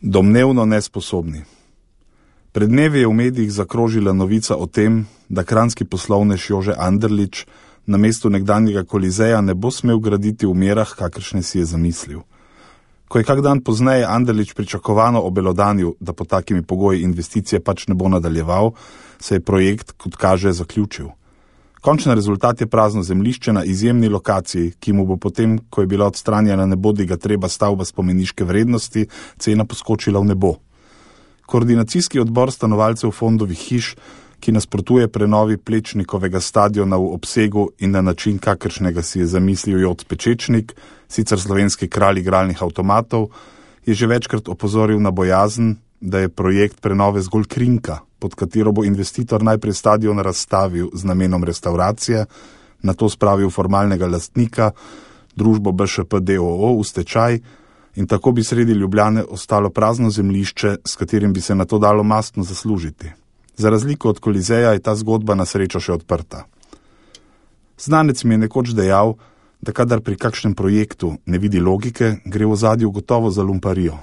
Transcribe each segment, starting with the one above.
Domnevno nesposobni. Pred dnevi je v medijih zakrožila novica o tem, da kranjski poslovnež Jože Anderlič na mestu nekdanjega Kolizeja ne bo smel graditi v merah, kakršne si je zamislil. Ko je kak dan pozneje Anderlič pričakovano obelodanil, da po takimi pogoji investicije pač ne bo nadaljeval, se je projekt, kot kaže, zaključil. Končni rezultat je prazno zemljišče na izjemni lokaciji, ki mu bo potem, ko je bila odstranjena nebodiga treba stavba spomeniške vrednosti, cena poskočila v nebo. Koordinacijski odbor stanovalcev Fondovih hiš, ki nasprotuje prenovi Plečnikovega stadiona v obsegu in na način, kakršnega si je zamislil Jot Pečečnik, sicer slovenski kralj igralnih avtomatov, je že večkrat opozoril na bojazen, da je projekt prenove zgolj krinka, pod katero bo investitor najprej stadion razstavil z namenom restauracije, nato spravil formalnega lastnika, družbo BŠP d.o.o. v stečaj in tako bi sredi Ljubljane ostalo prazno zemljišče, s katerim bi se nato dalo mastno zaslužiti. Za razliko od Kolizeja je ta zgodba na srečo še odprta. Znanec mi je nekoč dejal, da kadar pri kakšnem projektu ne vidi logike, gre v ozadju gotovo za lumparijo.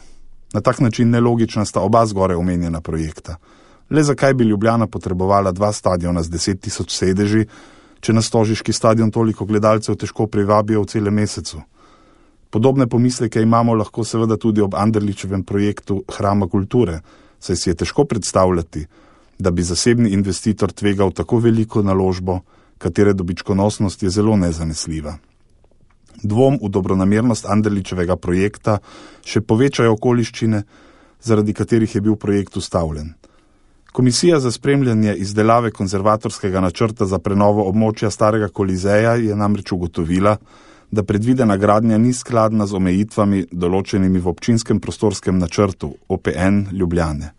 Na tak način nelogična sta oba zgore omenjena projekta. Le zakaj bi Ljubljana potrebovala 2 stadiona z 10.000 sedeži, če na stožiški stadion toliko gledalcev težko privabijo v celem mesecu? Podobne pomisleke imamo lahko seveda tudi ob Anderličevem projektu Hrama kulture, saj si je težko predstavljati, da bi zasebni investitor tvegal tako veliko naložbo, katere dobičkonosnost je zelo nezanesljiva. Dvom v dobronamernost Anderličevega projekta še povečajo okoliščine, zaradi katerih je bil projekt ustavljen. Komisija za spremljanje izdelave konzervatorskega načrta za prenovo območja starega Kolizeja je namreč ugotovila, da predvidena gradnja ni skladna z omejitvami določenimi v občinskem prostorskem načrtu OPN Ljubljane.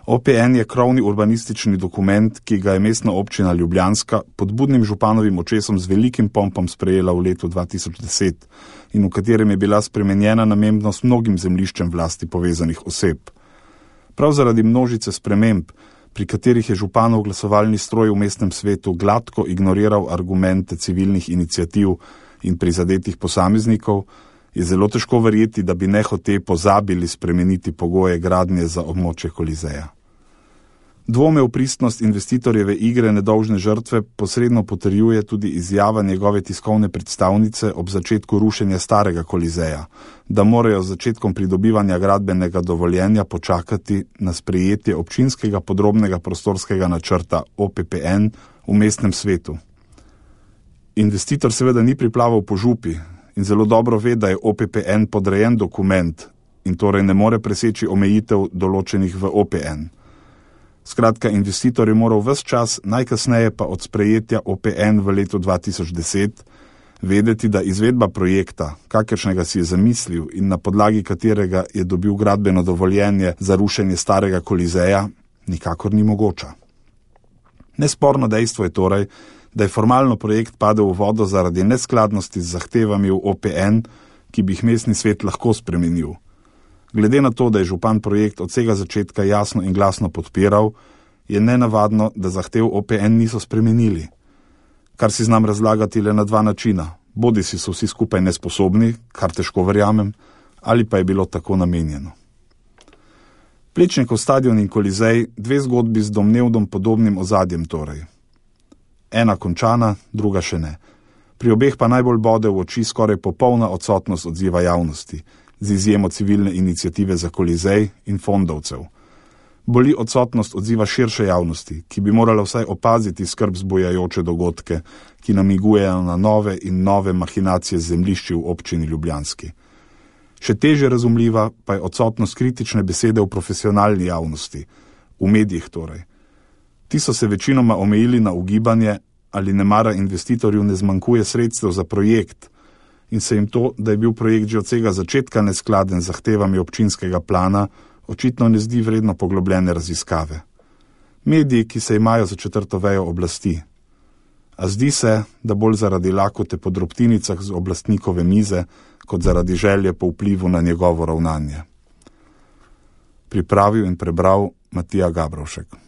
OPN je krovni urbanistični dokument, ki ga je mestna občina Ljubljanska pod budnim županovim očesom z velikim pompom sprejela v letu 2010 in v katerem je bila spremenjena namembnost mnogim zemljiščem vlasti povezanih oseb. Prav zaradi množice sprememb, pri katerih je županov glasovalni stroj v mestnem svetu gladko ignoriral argumente civilnih iniciativ in prizadetih posameznikov, je zelo težko verjeti, da bi nehote pozabili spremeniti pogoje gradnje za območje Kolizeja. Dvome v pristnost investitorjeve igre nedolžne žrtve posredno potrjuje tudi izjava njegove tiskovne predstavnice ob začetku rušenja starega Kolizeja, da morajo z začetkom pridobivanja gradbenega dovoljenja počakati na sprejetje občinskega podrobnega prostorskega načrta OPPN v mestnem svetu. Investitor seveda ni priplaval po župi in zelo dobro ve, da je OPPN podrejen dokument in torej ne more preseči omejitev določenih v OPN. Skratka, investitor je moral ves čas, najkasneje pa od sprejetja OPN v letu 2010, vedeti, da izvedba projekta, kakršnega si je zamislil in na podlagi katerega je dobil gradbeno dovoljenje za rušenje starega Kolizeja, nikakor ni mogoča. Nesporno dejstvo je torej, da je formalno projekt padel v vodo zaradi neskladnosti z zahtevami v OPN, ki bi jih mestni svet lahko spremenil. Glede na to, da je župan projekt od vsega začetka jasno in glasno podpiral, je nenavadno, da zahtev OPN niso spremenili. Kar si znam razlagati le na 2 načina. Bodisi so vsi skupaj nesposobni, kar težko verjamem, ali pa je bilo tako namenjeno. Plečnikov stadion in Kolizej, 2 zgodbi z domnevno podobnim ozadjem torej. Ena končana, druga še ne. Pri obeh pa najbolj bode v oči skoraj popolna odsotnost odziva javnosti, z izjemo civilne iniciative za Kolizej in fondovcev. Boli odsotnost odziva širše javnosti, ki bi morala vsaj opaziti skrb zbujajoče dogodke, ki namigujejo na nove in nove mahinacije zemljišči v občini Ljubljanski. Še teže razumljiva pa je odsotnost kritične besede v profesionalni javnosti, v medijih torej. Ti so se večinoma omejili na ugibanje, ali nemara investitorju ne zmanjkuje sredstev za projekt, in se jim to, da je bil projekt že od vsega začetka neskladen z zahtevami občinskega plana, očitno ne zdi vredno poglobljene raziskave. Mediji, ki se imajo za 4. vejo oblasti. A zdi se, da bolj zaradi lakote po drobtinicah z oblastnikove mize, kot zaradi želje po vplivu na njegovo ravnanje. Pripravil in prebral Matija Gabrovšek.